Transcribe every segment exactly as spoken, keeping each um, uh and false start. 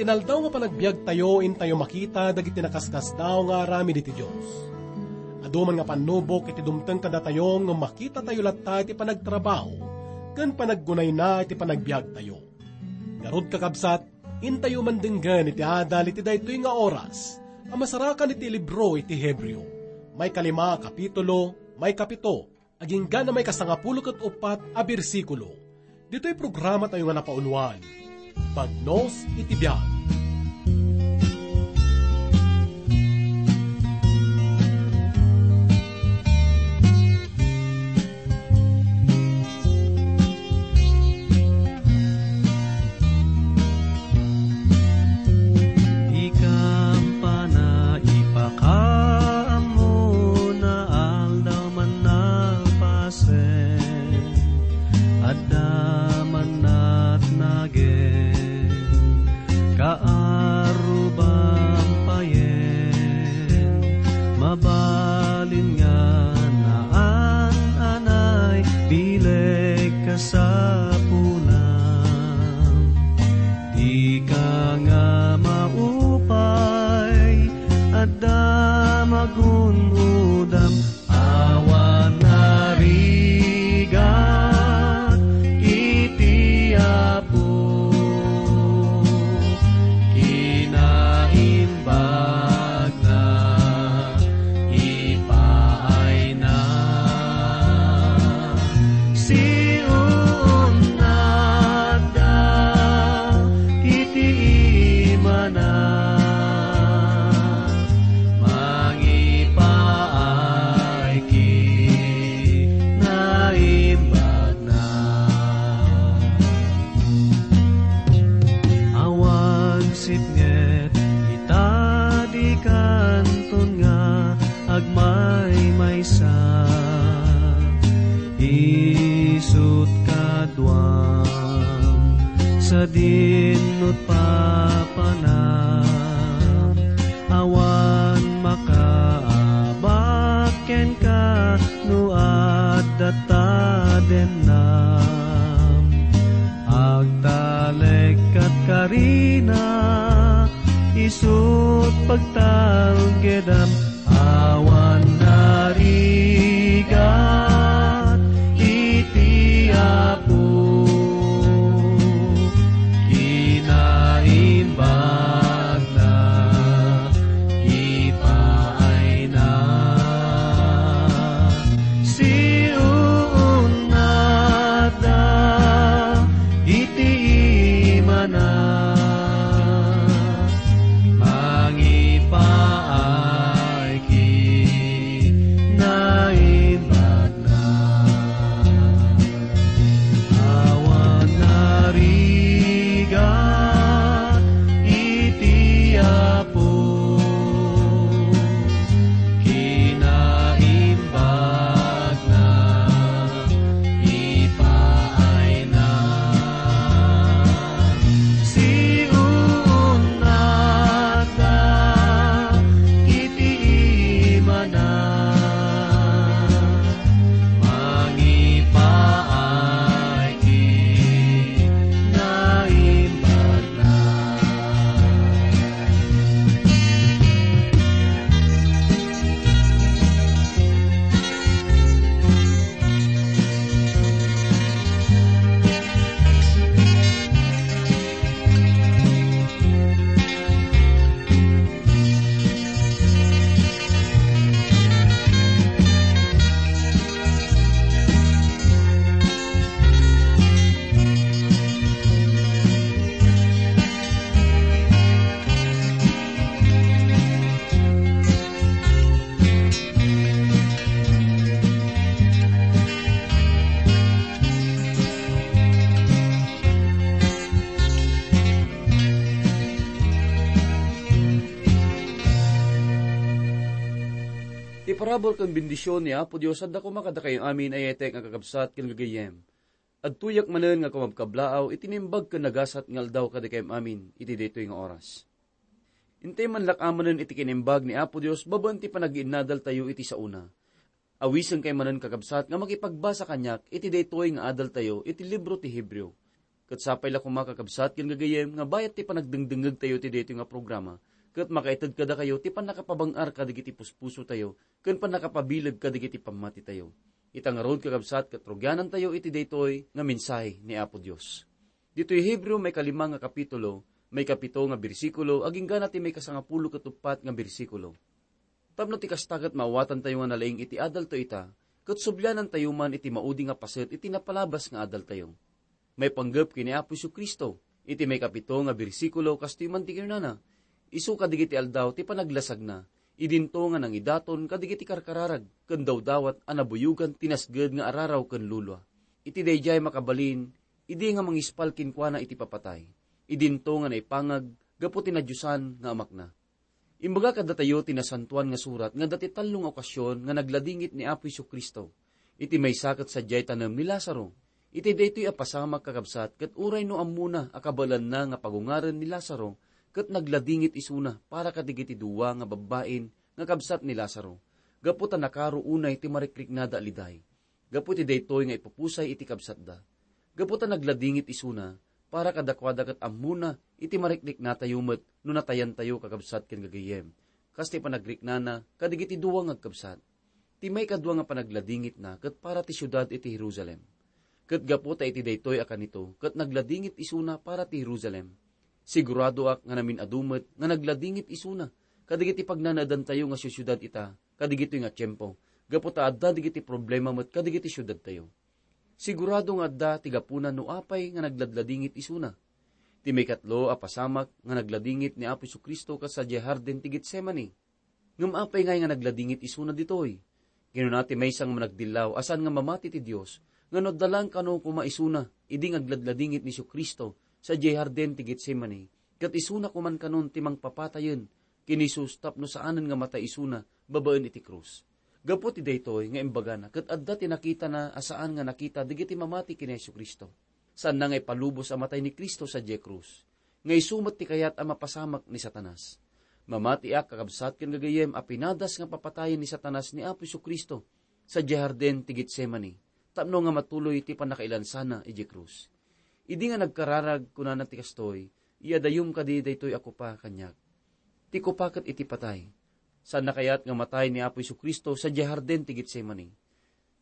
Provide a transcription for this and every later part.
Aldaw nga panagbiagtayo, intayo makita dagiti nakaskasdaaw nga aramid iti Dios. Adu man nga pannubok iti dumteng kadatayo nga makitatayo latta iti panagtrabaho ken panaggunayna iti panagbiagtayo. Ngarud, kakabsat, intayo mandenggen iti adal iti daytoy nga oras a masarakan iti libro iti Hebreo, may kalima a kapitulo, may kapito, agingga na may kasangapulo ket uppat a bersikulo. Ditoy programa tayo nga napauluan, Bagnos iti Biag. Ikampana ipakaammo na aldaw man napasen, adda man natnagen, kaaruban payen, mabalin nga naan-anay bileg kasapulam. Dika nga maupay, adda magun-udam, awan narigat iti Apo. Kinaimbag na ipaayna. Siunnatda iti imana, mangipaay kinaimbag na. Awan sipnget ita dikanton nga agmaymaysa. Isut kaduam sadin nut papanam. Awan makaabak kenka no adda tadennam. Agtalek kat karina, isut pagtalgedam, awan narigat iti Apo. Kinaimbag na ipaayna. Siunnatda iti imana, mangipaay kinaimbag na. Awan narigat iti Apo, kinaimbag na ipaayna. Siunnatda iti imana, mangipaay kinaimbag na. Ti parabur ken bendision ni Apo Dios adda koma kadakayo amin a yayatek nga kakabsat ken gagayyem. Adtoyak manen nga kumabkablaaw iti naimbag ken nagasat nga aldaw kadakayam amin iti daytoy nga oras. Intay manlak-amanen iti kinaimbag ni Apo Dios babaen ti panagiinnadaltayo iti saona. Awisenkay manen, kakabsat, nga makipagbasa kaniak iti daytoy nga adaltayo iti libro ti Hebreo. Ket sapay la koma, kakabsat ken gagayyem, nga bayat ti panagdengdengngegtayo iti daytoy nga programa, ket makaited kadakayo ti pannakapabang-ar kadagiti puspusotayo ken pannakapabileg kadagiti pammatitayo. Ita ngarud, kakabsat, ket rugianantayo iti daytoy nga mensahe ni Apo Dios. Ditoy Hebreo, maikalima nga kapitulo, maikapito nga bersikulo, agingga na ti maikasangapulo ket uppat nga bersikulo. Tapno ti kasta ket maawatantayo nga nalaing iti adaltayo ita, ket sublianantayo man iti maudi nga paset iti napalabas nga adaltayo. Maipanggep ken ni Apo Jesu-Cristo, iti maikapito nga bersikulo, kastoy man ti kinunana, "Isu kadagiti aldaw ti panaglasagna, idinto nga nangidaton kadagiti karkararag ken dawdawat a nabuyogan ti nasged nga araraw ken lulua. Iti daydiay makabalin, idi nga mangispal kenkuana iti papatay, idinto nga naipangag gapu ti nadiosan nga Amakna." Imbaga kadatayo ti Nasantoan nga Surat nga adda ti tallo nga okasion nga nagladingit ni Apo Jesu-Cristo. Iti maysa ket sadiay tanem ni Lazaro. Iti daytoy a pasamak, kakabsat, ket uray no ammona a kabaelanna nga pagungaren ni Lazaro, ket nagladingit isuna para kadagiti dua nga babbain nga kabsat ni Lazaro, gapu ta nakaro unay ti marikriknada a liday. Gapu iti daytoy nga ipupusay iti kabsatda. Gapu ta nagladingit isuna, para kadakuada ket ammona iti mariknatayo met no natayantayo, kakabsat ken gagayyem, kas ti panagriknana kadagiti dua nga agkabsat. Ti maikadua nga panagladingitna ket para ti siudad iti Jerusalem. Ket gapu ta iti daytoy a kanito, ket nagladingit isuna para ti Jerusalem. Siguradoak nga namin-adu met nga nagladingit isuna kadagiti pagnanaedantayo nga siusiudad ita, kadagitoy nga tiempo, gapu ta adda dagiti problema met kadagiti siudadtayo. Sigurado nga adda ti gapuna no apay nga nagladladingit isuna. Ti maikatlo a pasamak nga nagladingit ni Apo Jesu-Cristo kas sadiay Hardin ti Getsemani. Ngem apay ngay nga nagladingit isuna ditoy? Kinuna ti maysa nga managdillaw a saan nga mamati ti Dios, nga no adda laeng kano koma isuna idi nga agladladingit ni Jesu-Cristo sadiay Hardin ti Getsemani, ket isuna koman kanon ti mangpapatayen ken ni Jesus tapno saanen nga matay isuna babaen iti krus. Gapu ti daytoy nga imbagana, ket adda ti nakitana a saan nga nakita dagiti mamati ken ni Jesu-Cristo. Saanna nga ipalubos a matay ni Cristo sadiay krus, nga isu met ti kayat a mapasamak ni Satanas. Mamatiak, kakabsat ken gagayyem, a pinadas nga papatayen ni Satanas ni Apo Jesu-Cristo sadiay Hardin ti Getsemani, tapno nga matuloy ti pannakailansana idiay krus. Idi nga nagkararag, kunana ti kastoy, "Iadayom kadi daytoy a kopa kaniak." Ti kopa ket iti patay. Saanna kayat nga matay ni Apo Jesu-Cristo sadiay Hardin ti Getsemani?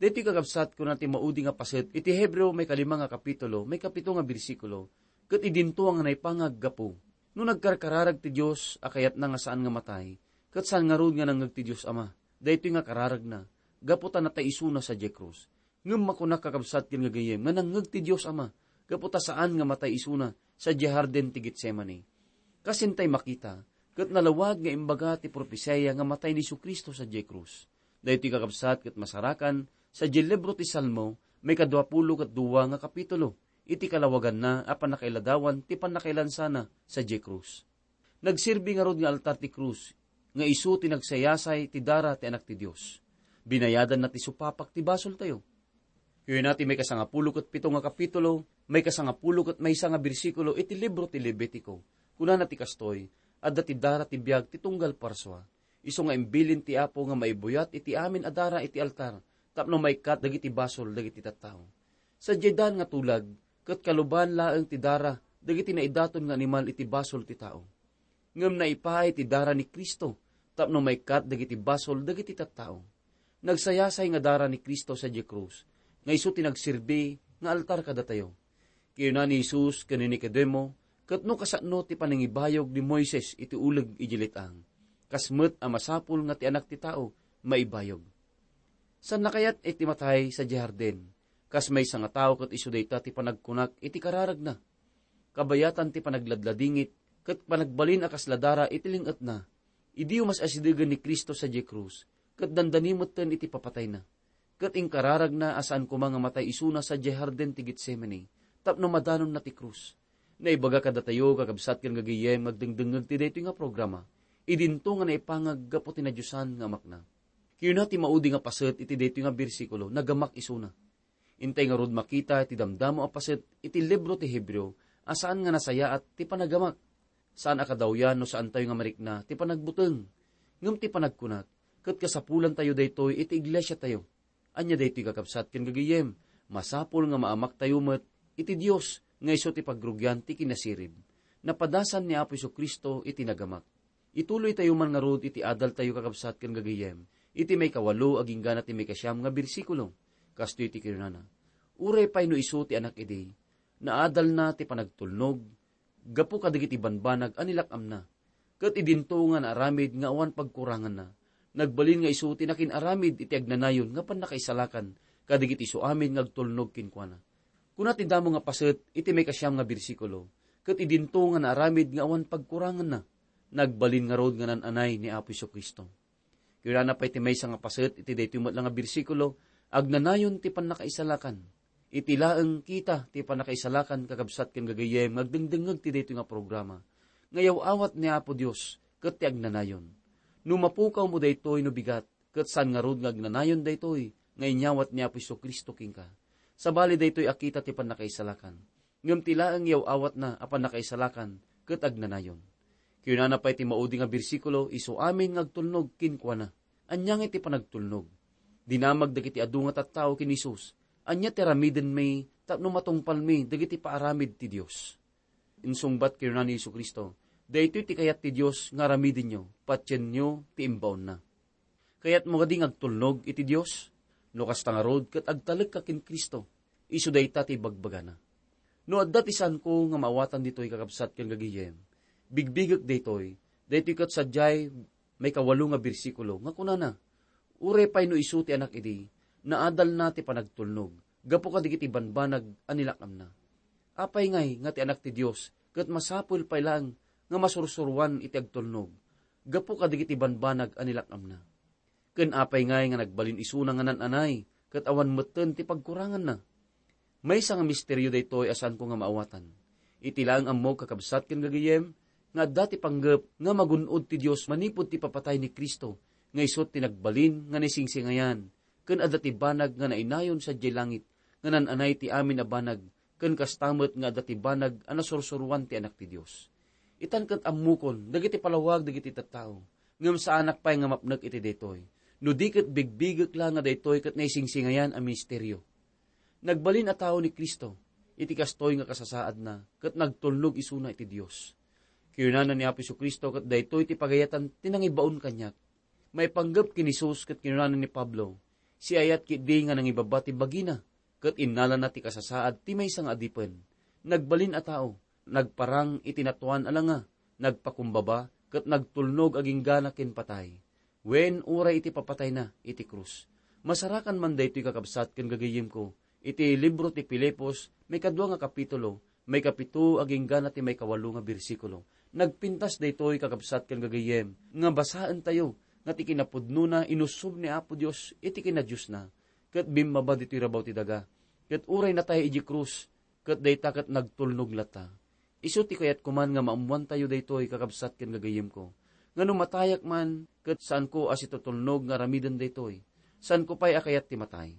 Daytoy, kakabsat, kuna ti maudi nga paset iti Hebreo, maikalima nga kapitulo, maikapito nga bersikulo, "Ket idinto nga naipangaggapu." No nagkarkararag ti Dios a kayatna nga saan nga matay, ket saan ngarud nga nangngeg ti Dios Ama daytoy nga kararagna, gapu ta natay isuna sadiay krus. Ngem makunak, kakabsat ken gagayyem, nga nangngeg ti Dios Ama gapu ta saan nga matay isuna sadiay Hardin ti Getsemani. Kas intay makita, ket nalawag nga imbaga ti propesia nga matay ni Jesu-Cristo sadiay krus. Daytoy, kakabsat, ket masarakan sadiay libro ti Salmo, maikadua pulo ket dua nga kapitulo, iti kalawaganna a pannakailadawan ti pannakailansana sadiay krus. Nagserbi ngarud nga altar ti krus, nga isu ti nagsayasay ti dara ti Anak ti Dios. Binayadanna ti supapak ti basoltayo. Kuna ti maikasangapulo ket pito nga kapitulo, maikasangapulo ket maysa nga bersikulo iti libro ti Levitico. Kunana ti kastoy, "Adda ti dara ti biag ti tunggal parsua. Isu nga imbilin ti Apo nga maibuyat iti amin a dara iti altar, tapno maikkat dagiti basol dagiti tattao." Sadiay daan nga tulag, ket kaluban laeng ti dara dagiti naidaton nga animal iti basol ti tao. Ngem naipaay ti dara ni Cristo tapno maikkat dagiti basol dagiti tattao. Nagsayasay nga dara ni Cristo sadiay krus, nga isu ti nagserbi nga altar kadatayo. Kinuna ni Jesus ken ni Nicodemo, "Ket no kasano ti panangibayog ni Moises iti uleg idiay let-ang, kas met a masapul nga ti Anak ti Tao maibayog? Saanna kayat iti matay sadiay hardin? Kas maysa nga tao ket isu dayta ti panagkunak iti kararagna. Kabayatan ti panagladladingit ket panagbalin a kasla dara iti ling-etna. Idiyo mas-asidegen ni Cristo sadiay krus, ket dandani metten iti papatayna. Ket inkararagna a saan koma nga matay isuna sadiay hardin ti Getsemani tapno madanonna ti krus." Naibaga kadatayo, kakabsat ken gagayyem, nga agdengdengngeg ti daytoy nga programa, idinto nga naipangag gapu ti nadiosan nga Amakna. Kinuna ti maudi nga paset iti daytoy nga bersikulo, "Nagamak isuna." Intay ngarud makita iti damdamo a paset iti libro ti Hebreo a saan nga nasayaat ti panagamak. Saan a kadawyan no saantayo nga marikna ti panagbuteng. Ngem ti panagkunak, ket kasapulantayo daytoy iti iglesiatayo. Ania daytoy, kakabsat ken gagayyem? Masapul nga maamaktayo met iti Dios nga isu ti pagrugian ti kinasirib. Napadasan ni Apo Jesu-Cristo iti nagamak. Ituloytayo man ngarud iti adaltayo, kakabsat ken gagayyem, iti maikawalo agingga na ti maikasiam nga bersikulo. Kastoy ti kinunana, "Uray pay no isu ti Anak idi, naadalna ti panagtulnog gapu kadagiti banbanag a nilak-amna. Ket idinto nga naaramid nga awan pagkuranganna, nagbalin nga isu ti nakin-aramid iti agnanayon nga pannakaisalakan kadagiti isuamin nga agtulnog kenkuana." Kuna ti damo nga paset iti maikasiam nga bersikulo, "Ket idinto nga naaramid nga awan pagkuranganna, nagbalin ngarud nga nan-anay ni Apo Jesu-Cristo." Kinunana pay ti maysa nga paset iti daytoy met la nga bersikulo, "Agnanayon ti pannakaisalakan." Iti laeng kita ti pannakaisalakan, kakabsat ken gagayyem, nga agdengdengngeg ti daytoy nga programa, nga yaw-awat ni Apo Dios ket ti agnanayon. No mapukawmo daytoy no bigat, ket saan ngarud nga agnanayon daytoy nga inyawat ni Apo Jesu-Cristo kenka. Sabali, daytoy a kita ti pannakaisalakan. Ngem ti laeng yaw-awatna a pannakaisalakan ket agnanayon. Kinunana pay ti maudi nga bersikulo, "Isu amin nga agtulnog kenkuana." Ania ngay ti panagtulnog? Dinamag dagiti adu nga tattao ken Jesus. Ania ti aramidenmi tapno matungpalmi dagiti paaramid ti Dios? Insungbat kinuna ni Jesu-Cristo, "Daytoy ti kayat ti Dios nga aramidenyo, patienyo ti imbaonna." Kayatmo kadi nga agtulnog iti Dios? No kasta ngarud, ket agtalekka ken Cristo. Isu dayta ti ibagbagana. No adda ti saanko nga maawatan ditoy, kakabsat ken gagayyem, bigbigek daytoy. Daytoy ket sadiay maikawalo nga bersikulo nga kunana, "Uray pay no isu ti Anak idi, naadalna ti panagtulnog gapu kadagiti banbanag a nilak-amna." Apay ngay nga ti Anak ti Dios ket masapul pay laeng nga masursuroan iti agtulnog gapu kadagiti banbanag a nilak-amna? Ken apay ngay nga nagbalin isuna nga nan-anay ket awan metten ti pagkuranganna? Maysa nga misterio daytoy a saanko nga maawatan. Iti laeng ammok, kakabsat ken gagayyem, nga adda ti panggep nga magun-od ti Dios manipud ti ipapatay ni Cristo, nga isu ti nagbalin nga naisingsingayan, ken adda ti banag nga nainayon sadiay langit, nga nan-anay ti amin a banag, ken kasta met nga adda ti banag a nasursuroan ti Anak ti Dios. Itan ket ammokon dagiti palawag dagiti tattao, ngem saanak pay nga mapnek iti daytoy, no di ket bigbigek la nga daytoy ket naisingsingayan a misterio. Nagbalin a tao ni Cristo. Iti kastoy nga kasasaadna, ket nagtulnog isuna iti Dios. Kinunana ni Apo Jesu-Cristo ket daytoy ti pagayatan ti nangibaon kaniak. Maipanggep ken Jesus ket kinunana ni Pablo, "Siayat ketdi nga nangibaba ti bagina, ket innalana ti kasasaad ti maysa nga adipen. Nagbalin a tao, nagparang iti natuan a langa, nagpakumbaba, ket nagtulnog aginggana ken patay. Wen, uray iti papatayna iti krus." Masarakan man daytoy, kakabsat ken gagayyemko, iti libro ti Filipos, maikadua nga kapitulo, maikapito aginggana ti maikawalo nga bersikulo. Nagpintas daytoy, kakabsat ken gagayyem, nga basaentayo nga ti kinapudnona inussob ni Apo Dios iti kinadiosna, ket bimmaba ditoy rabaw ti daga. Ket uray natay iti krus, ket dayta ket nagtulnog latta. Isu ti kayatko man nga maammoantayo daytoy, kakabsat ken gagayyemko, nga no matayak man, ket saanko a situtulnog nga aramiden daytoy. Saanko pay a kayat ti matay.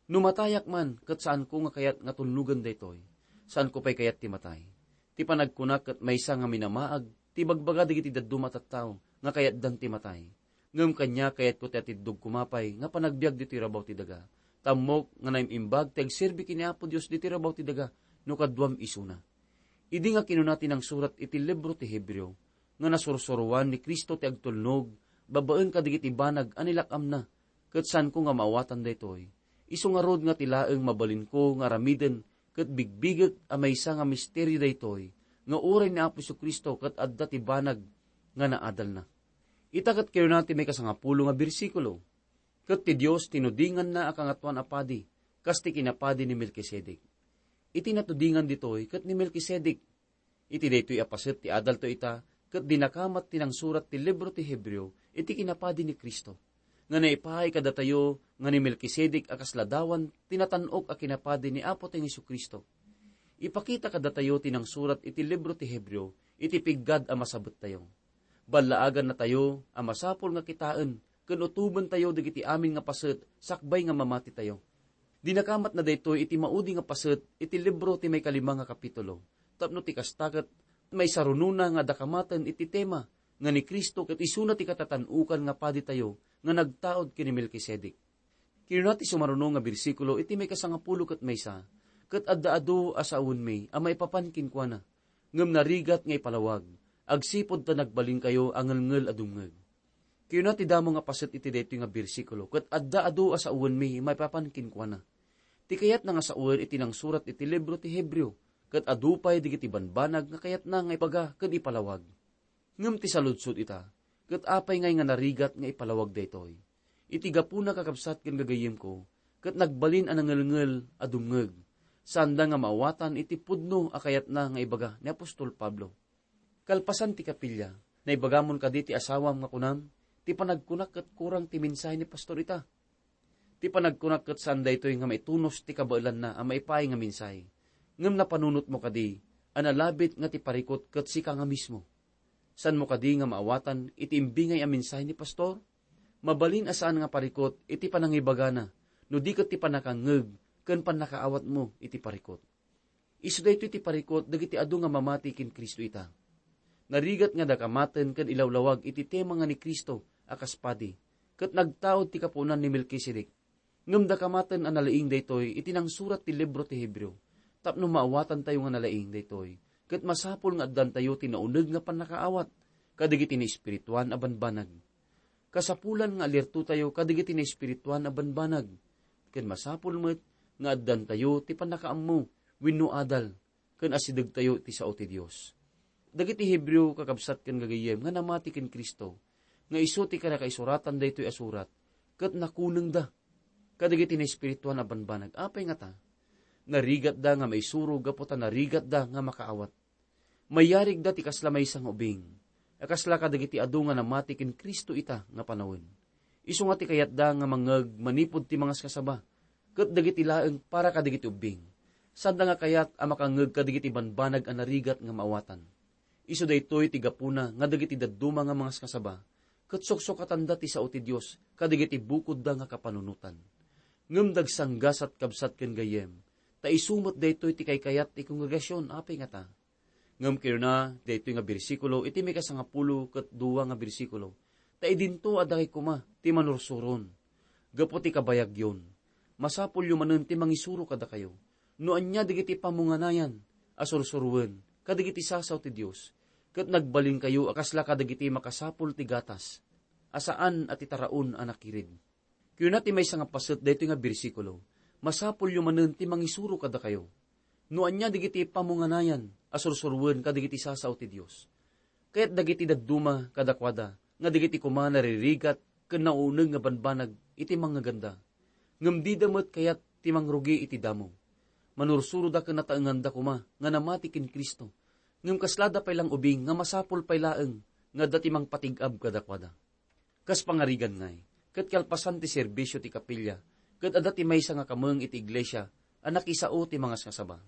No matayak man, ket saanko nga kayat nga tulnogen daytoy. Saanko pay kayat ti matay. Ti panagkunak ket maysa nga minamaag ti ibagbaga dagiti dadduma a tattao nga kayatdan ti matay. Ngem kaniak, kayatko ti atiddog koma pay nga panagbiag ditoy rabaw ti daga. Tammok nga naim-imbag ti agserbi ken ni Apo Dios ditoy rabaw ti daga no kaduam isuna. Idi nga kinuna ti nangsurat iti libro ti Hebreo nga nasursuroan ni Cristo ti agtulnog babaen kadagiti banag a nilak-amna, ket saanko nga maawatan daytoy. Isu ngarud nga ti laeng mabalinko nga aramiden ket bigbigek a maysa nga misterio daytoy, nga uray ni Apo Jesu-Cristo ket adda ti banag nga naadalna. Ita ket kinuna ti maikasangapulo nga bersikulo, "Ket ti Dios tinudinganna a Kangatoan a Padi, kas ti kinapadi ni Melkisedek." Iti natudingan ditoy ket ni Melkisedek. Iti daytoy a paset ti adalto ita, ket dinakamat ti nangsurat ti libro ti Hebreo iti kinapadi ni Cristo, nga naipaay kadatayo nga ni Melkisedek a kasla dawan ti natan-ok a kinapadi ni Apotayo Jesu-Cristo. Ipakita kadatayo ti nangsurat iti libro ti Hebreo iti piggad a masabettayo. Ballaagannatayo a masapul nga kitaen ken utobentayo dagiti amin nga paset sakbay nga mamatitayo. Dinakamatna daytoy iti maudi nga paset iti libro ti maikalima nga kapitulo, tapno ti kasta ket maisarunona nga dakamaten iti tema nga ni Cristo ket isuna ti katatan-okan nga paditayo nga nagtaud ken ni Melkisedek. Kinuna ti sumaruno nga bersikulo iti maikasangapulo ket maysa, ket adda adu a sawenmi a maipapan kenkuana, ngem narigat nga ipalawag, agsipud ta nagbalinkayo a ngelngel a dumngeg. Kayuna ti damo nga paset iti daytoy nga bersikulo, ket adda adu a sawenmi maipapan kenkuana. Ti kayatna nga sawen iti nangsurat iti libro ti Hebreo, ket adu pay dagiti banbanag nga kayatna nga ibaga ken ipalawag. Ngem ti saludsod ita, ket apay ngay nga narigat nga ipalawag daytoy? Iti gapuna, kakabsat ken gagayyemko, ket nagbalin a nangelngel a dumngeg, saanda nga maawatan iti pudno a kayatna nga ibaga ni apostol Pablo. Kalpasan ti kapilya, naibagamon kadi ti asawam nga kunam, ti panagkunak ket kurang ti mensahe ni pastor ita. Ti panagkunak ket saan daytoy nga maitunos ti kabaelanna a maipaay nga mensahe. Ngem napanunotmo kadi a nalabit nga ti parikut ket sika nga mismo? Saanmo kadi nga maawatan iti imbingay a mensahe ni pastor? Mabalin a saan nga parikut iti panangibagana, no di ket ti pannakangngeg ken pannakaawatmo iti parikut. Isu daytoy ti parikut dagiti adu nga mamati ken Cristo ita. Narigat nga dakamaten ken ilawlawag iti tema nga ni Cristo a kas padi, ket nagtaud ti kapuonan ni Melkisedek. Ngem dakamaten a nalaing daytoy iti nangsurat ti libro ti Hebreo, tapno maawatantayo nga nalaing daytoy, ket masapul nga addantayo ti nauneg nga pannakaawat kadagiti naespirituan a banbanag. Kasapulan nga alirtotayo kadagiti naespirituan a banbanag, ken masapul met nga addantayo ti pannakaammo wenno adal ken asidegtayo iti sao ti Dios. Dagiti Hebreo, kakabsat ken gagayyem, nga namati ken Cristo, nga isu ti kare-, kaisuratan daytoy a surat, ket nakunengda kadagiti naespirituan a banbanag. Apay ngata? Narigatda nga maisuro gapu ta narigatda nga makaawat. Mayarigda ti kasla maysa nga ubing, a kasla kadagiti adu nga namati ken Cristo ita nga panawen. Isu nga ti kayatda nga mangngeg manipud ti mangaskasaba, ket dagiti laeng para kadagiti ubbing, saanda nga kayat a makangngeg kadagiti banbanag a narigat nga maawatan. Isu daytoy ti gapuna nga dagiti dadduma nga mangaskasaba, ket suksukatanda ti sao ti Dios kadagiti bukodda nga kapanunotan. Ngem dagsanggasat, kabsat ken gayyem, ta isu met daytoy ti kaykayat ti kongregasion. Apay ngata? Ngem kinuna daytoy nga bersikulo iti maikasangapulo ket dua nga bersikulo, ta idinto adda koma ti manursuron. Gapu ti kabayagyon, masapulyo manen ti mangisuro kadakayo. No ania dagiti pammunganayan a sursuroen kadagiti sasao ti Dios, ket nagbalinkayo a kasla kadagiti makasapul ti gatas, a saan a ti taraon a nakirid. Kuna ti maysa nga paset daytoy nga bersikulo, masapulyo manen ti mangisuro kadakayo. No ania dagiti pammunganayan a sursuroen kadagiti sasao ti Dios, kayat dagiti dadduma kadakuada nga dagiti koma naririgat ken nauneg nga banbanag iti mangngeganda. Ngem dida met kayat ti mangrugi iti damo. Manursuroda ken nataenganda koma nga namati ken Cristo. Ngem kaslada pay lang ubing nga masapul pay laeng nga adda ti mangpatig-ab kadakuada. Kas pangarigan ngay, ket kalpasan ti serbisio ti kapilya, ket adda ti maysa nga kameng iti iglesia a nakisao ti mangaskasaba.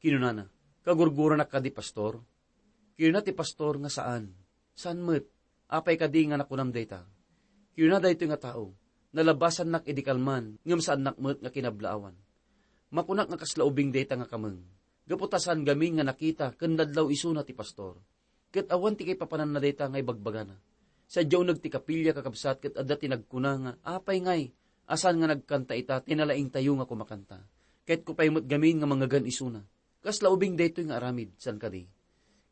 Kinunana, "Kagurguranak kadi, Pastor?" Kinuna ti pastor nga saan. Saan met? Apay kadi nga nakunam dayta? Kinuna daytoy nga tao, "Nalabasannak idi kalman, ngem saannak met nga kinablaawan. Makunak nga kasla ubing dayta nga kameng, gapu ta saan gamin nga nakita ken nadlaw isuna ti pastor. Ket awan ti kaipapananna dayta nga ibagbagana. Sadiay uneg ti kapilya, kakabsat, ket adda ti nagkuna nga, 'Apay ngay a saan nga nagkanta ita ti nalaingtayo nga kumakanta? Kayatko pay met gamin nga mangngegan isuna.' Kasla ubing daytoy nga aramid, saan kadi?"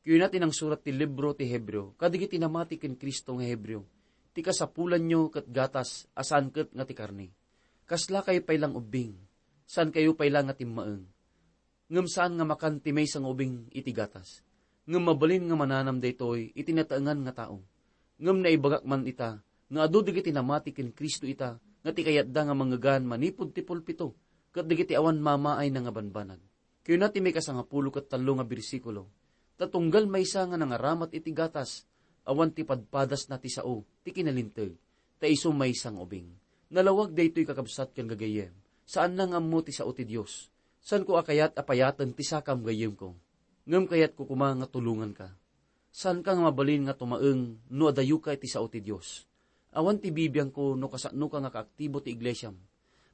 Kuna ti nangsurat ti libro ti Hebreo kadagiti namati ken Cristo nga Hebreo, "Ti kasapulanyo ket gatas a saan ket nga ti karne. Kaslakayo pay lang ubbing. Saankayo pay la nga timmaeng. Ngem saan nga makan ti maysa nga ubing iti gatas. Ngem mabalin nga mananam daytoy iti nataengan nga tao. Ngem naibagak man ita nga adu dagiti namati ken Cristo ita nga ti kayatda nga mangngegan manipud ti pulpito ket dagiti awan mamaayna nga banbanag." Kuna ti maikasangapulo ket tallo nga bersikulo, "Ta tunggal maysa nga nangaramat iti gatas, awan ti padpadasna ti sao ti kinalinteg, ta isu maysa nga ubing." Nalawag daytoy, kakabsat ken gagayyem. Saanna nga ammo ti sao ti Dios. Saanko a kayat a payaten ti sakam, gayyemko. Ngem kayatko koma nga tulonganka. Saanka nga mabalin nga tumaeng no adayoka iti sao ti Dios. Awan ti bibiangko no kasanoka nga kaaktibo ti iglesiam.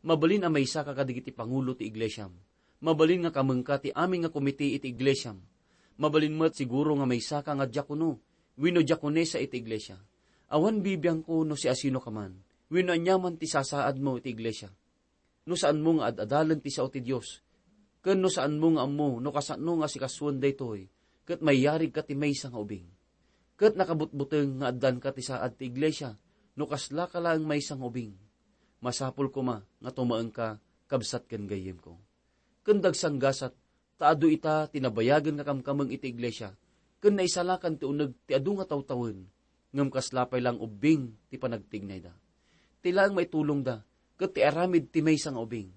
Mabalin a maysaka kadagiti pangulo ti iglesiam. Mabalin nga kamengka ti amin nga komite iti iglesiam. Mabalin met siguro nga maysaka nga diakono wenno diakonesa iti iglesia. Awan bibiangko no siasinoka man wenno aniaman ti sasaadmo iti iglesia. No saanmo nga ad-adalen ti sao ti Dios, Ken no saanmo nga ammo no kasano nga asikasuen daytoy, ket mayarigka ti maysa nga ubing. Ket nakabutbuteng nga addanka ti saad ti iglesia no kaslaka laeng maysa nga ubing. Masapul koma nga tumaengka, kabsat ken gayyemko. Ken dagsanggasat, ta adu ita ti nabayagen nga kamkameng iti iglesia, ken naisalakan ti uneg ti adu nga tawtawen, ngem kasla pay laeng ubbing ti panagtignayda. Ti laeng maitulongda, ket ti aramid ti maysa nga ubing.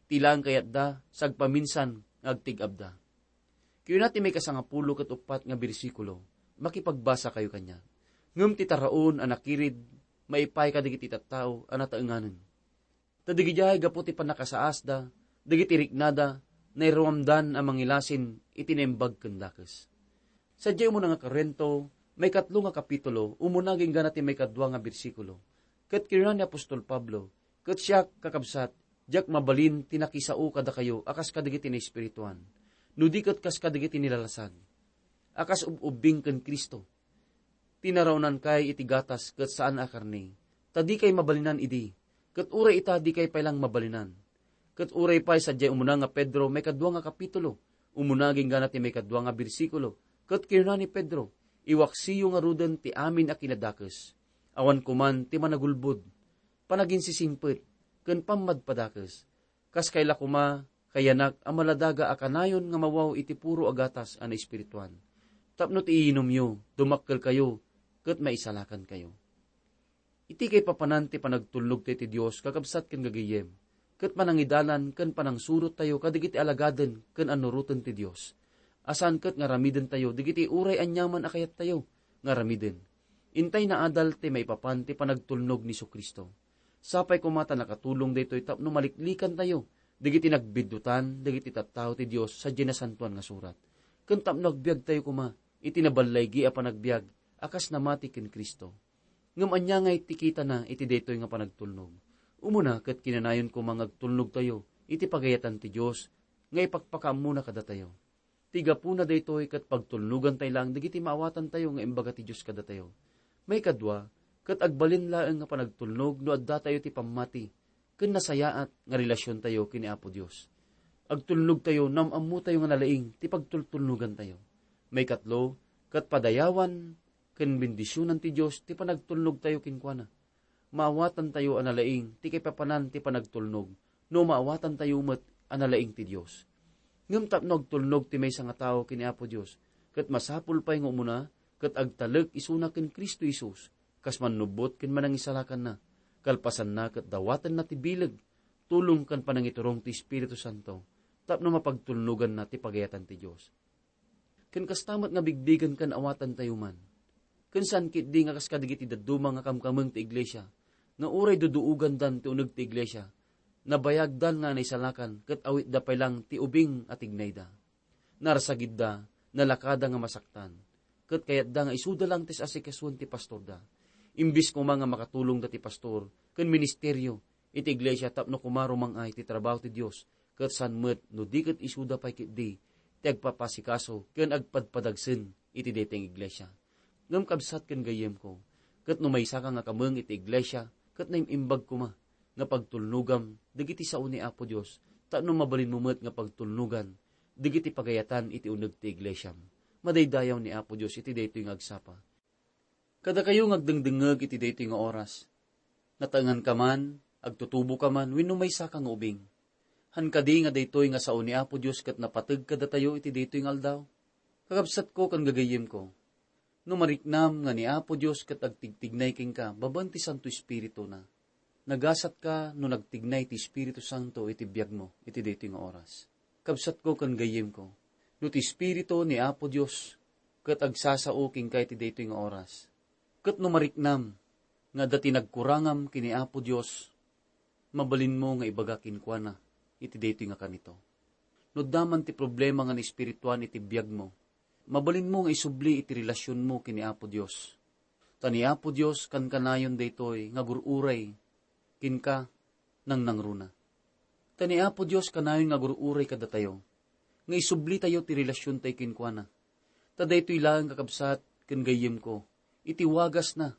Ti laeng kayatda, sagpaminsan nga agtig-abda. Kuna ti maikasangapulo ket uppat nga bersikulo, makipagbasakayo kaniak. Ngem ti taraon a nakirid, maipaay kadagiti tattao a nataenganen. Ta digidiay gapu ti pannakasaasda, dagiti riknada, nairuamdan a mangilasin iti naimbag ken dakes. Sadiay umuna nga Corinto, maikatlo nga kapitulo, umuna agingga ti maikadua nga bersikulo. Ket kinuna ni apostol Pablo, "Ket siak, kakabsat, diak mabalin ti nakisao kadakayo a kas kadagiti naespirituan, no di ket kas kadagiti nilalasag, a kas ub-ubbing ken Cristo. Ti naraonankay iti gatas ket saan a karne, ta dikay mabalinan idi, ket uray ita dikay pay laeng mabalinan." Ket uray pay sadiay umuna nga Pedro, maikadua nga kapitulo, umuna agingga ti maikadua nga bersikulo, ket kinuna ni Pedro, "Iwaksiyo ngaruden ti amin a kinadakes. Awan koman ti managulbod, panaginsisingpet, ken pammadpadakes. Kas kayla koma, kayanak a maladaga a kanayon nga mawaw iti puro a gatas a naespirituan. Tapno ti iinumyo, dumakkelkayo, ket maisalakankayo." Iti kaipapanan ti panagtulnog tayo ti Dios, kakabsat ken gagayyem, ket panangidalan ken panangsurottayo kadagiti alagaden ken annuroten ti Dios, a saan ket nga aramidentayo dagiti uray aniaman a kayattayo nga aramiden. Intay naadal ti maipapan ti panagtulnog ni Jesu-Cristo. Sapay koma ta nakatulong daytoy tapno maliklikantayo dagiti nagbiddutan dagiti tattao ti Dios sadiay Nasantoan nga Surat, ken tapno agbiagtayo koma iti naballaygi a panagbiag a kas namati ken Cristo. Ngem ania ngay ti kitana iti daytoy nga panagtulnog? Umuna ket kinanayon koma nga agtulnogtayo iti pagayatan ti Dios nga ipakpakaammona kadatayo. Ti gapuna daytoy ket pagtulnogantay laeng dagiti maawatantayo nga imbaga ti Dios kadatayo. Maikadua, ket agbalin laeng nga panagtulnog no addatayo ti pammati ken nasayaat nga relasiontayo ken ni Apo Dios. Agtulnogtayo, naam-ammotayo nga nalaing ti pagtultulnogantayo. Maikatlo, ket padayawan ken bendisionan ti Dios ti panagtulnogtayo kenkuana. Maawatantayo a nalaing ti kaipapanan ti panagtulnog no maawatantayo met a nalaing ti Dios. Ngem tapno agtulnog ti maysa nga tao ken ni Apo Dios, ket masapul pay nga umuna ket agtalek isuna ken Cristo Jesus kas mannubbot ken manangisalakanna. Kalpasanna ket dawatenna ti bileg, tulong ken panangiturong ti Espiritu Santo tapno mapagtulnoganna ti pagayatan ti Dios. Ken kasta met nga bigbigen ken awatantayo man. Ken saan ketdi nga kas kadagiti dadduma nga kamkameng ti iglesia, nga uray duduogandan ti uneg ti iglesia, nabayagdan nga naisalakan ket awitda pay laeng ti ubing a tignayda. Narsagidda, nalakada nga masaktan, ket kayatda nga isuda laeng ti asikasuen ti pastorda. Imbes koma nga makatulongda ti pastor ken ministerio iti iglesia tapno koma rumang-ay ti trabaho ti Dios, ket saan met no di ket isuda pay ketdi ti agpapasikaso ken agpadpadagsen iti daytoy nga iglesia. Ngem kabsat ken gayyemko, ket no maysaka nga kameng iti iglesia ket naim-imbag koma nga pagtulnogam dagiti sao ni Apo Dios, tapno mabalinmo met nga pagtulnogan dagiti pagayatan iti uneg ti iglesiam. Madaydayaw ni Apo Dios iti daytoy nga agsapa. Kadakayo nga agdengdengngeg iti daytoy nga oras, nataenganka man, agtutuboka man, wenno maysaka nga ubing. Han kadi nga daytoy nga sao ni Apo Dios ket napateg kadatayo iti daytoy nga aldaw? Kakabsatko ken gagayyemko, no mariknam nga ni Apo Dios ket agtigtignay kenka babaen ti Santo Espirituna, nagasatka no nagtignay ti Espiritu Santo iti biagmo iti daytoy nga oras. Kabsatko ken gayyemko, no ti Espiritu ni Apo Dios ket agsasao kenka iti daytoy nga oras, ket no mariknam nga adda ti nagkurangam ken ni Apo Dios, mabalinmo nga ibaga kenkuana iti daytoy nga kanito. No adda man ti problema nga naespirituan iti biagmo, mabalinmo nga isubli iti relasionmo ken ni Apo Dios. Ta ni Apo Dios kankanayon daytoy nga agur-uray kenka nangnangruna. Ta ni Apo Dios kanayon nga agur-uray kadatayo, nga isublitayo ti relasiontayo kenkuana. Ta daytoy laeng, kakabsat ken gayyemko, iti wagasna,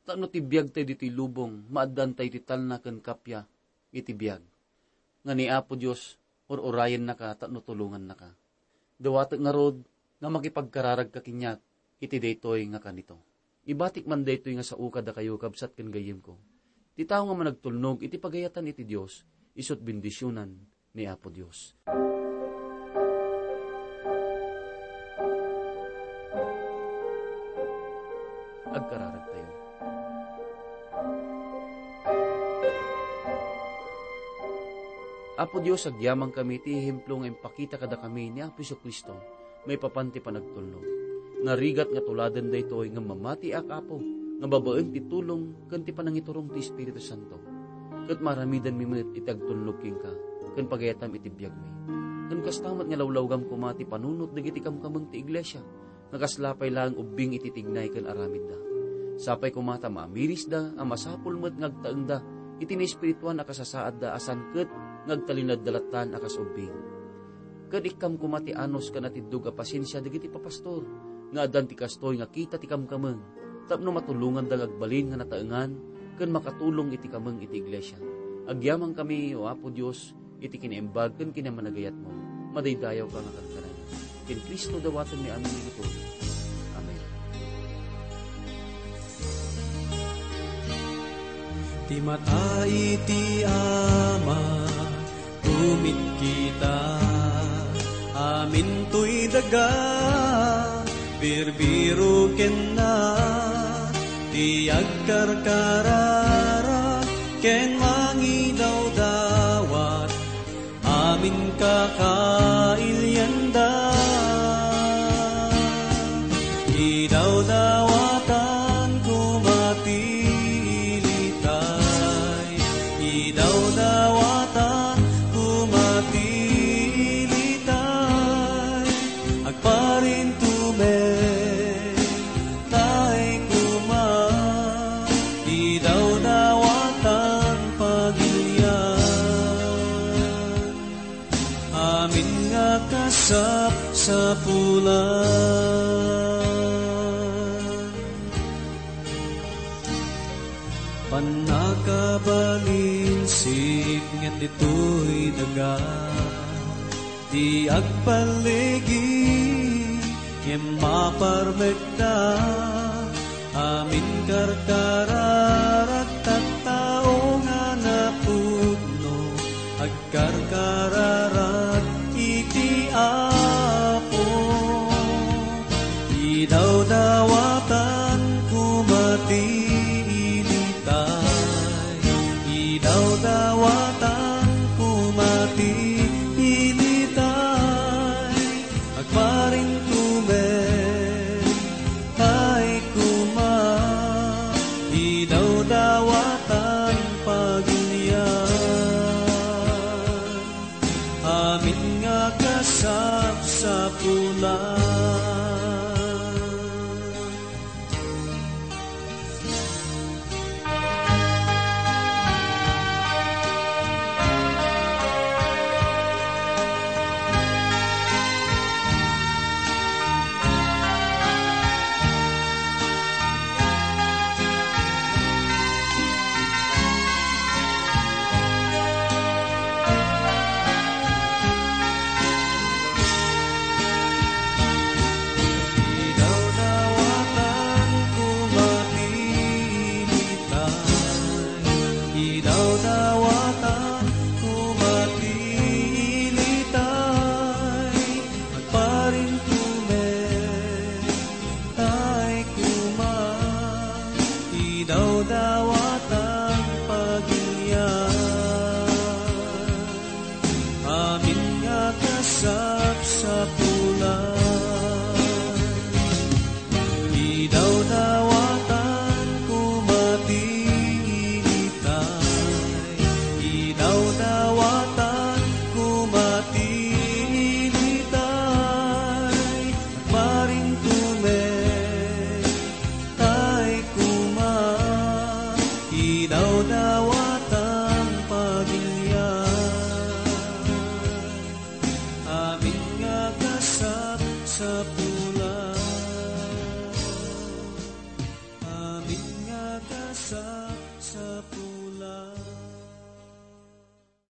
tapno ti biagtayo ditoy lubong, maaddaantayo ti talna ken kappia iti biag. Nga ni Apo Dios, Ur-urayennaka tapno tulongannaka. Dawatek ngarud nga makipagkararagka kaniak iti daytoy nga kanito. Ibatik man daytoy nga sao kadakayo, kabsat ken gayyemko. Ti tao nga managtulnog iti pagayatan iti Dios, isu't bendisionan ni Apo Dios. Agkararagtayo. Apo Dios, agyamankami ti ehemplo nga impakita kadakami ni Apo Jesu-Cristo maipapan ti panagtulnog. Narigat nga tuladen daytoy ngem mamatiak, Apo, nga babaen ti tulong ken ti panangiturong ti Espiritu Santo, ket maaramidanmi met iti agtulnog kenka ken pagayatam iti biagmi. Ken kasta met nga lawlawgam koma ti panunot dagiti kamkameng ti iglesia, nga kasla pay laeng ubbing iti tignay ken aramidda. Sapay koma ta maamirisda a masapul met nga agtaengda iti naespirituan a kasasaadda a saan ket nga agtalinaedda lattan a kas ubbing. Ket ikkam koma ti anus ken atiddog a pasensia dagiti papastor nga addan ti kastoy nga kita ti kamkameng tapno matulonganda nga agbalin nga nataengan ken makatulong iti kameng iti iglesia. Agyamankami, O Apo Dios, iti kinaimbag ken kinamanagayatmo. Madaydayawka nga karkaran. Ken Cristo dawatenmi amin ditoy. Amen. Ti mata iti Ama, tumikkita, amin toy daga, birbiro kenna, ti agkarkararag ken mangidawdawat, amin kakailianda. Idawdawatan koma ti ilitay, idawdawatan koma ti ilitay, agparintumen tay koma, idawdawatan pagilian, amin nga kasapsapulan. Pannakabalin sipnget ditoy daga, ti agpalligi, ngem maparmekda, amin karkararag tattao nga napudno, agkarkararag iti Apo. Idawdawatan koma ti ilitay, idawdawatan koma ti ilitay, agparintumen tay koma, idawdawatan pagilian, amin nga kasapsapulan.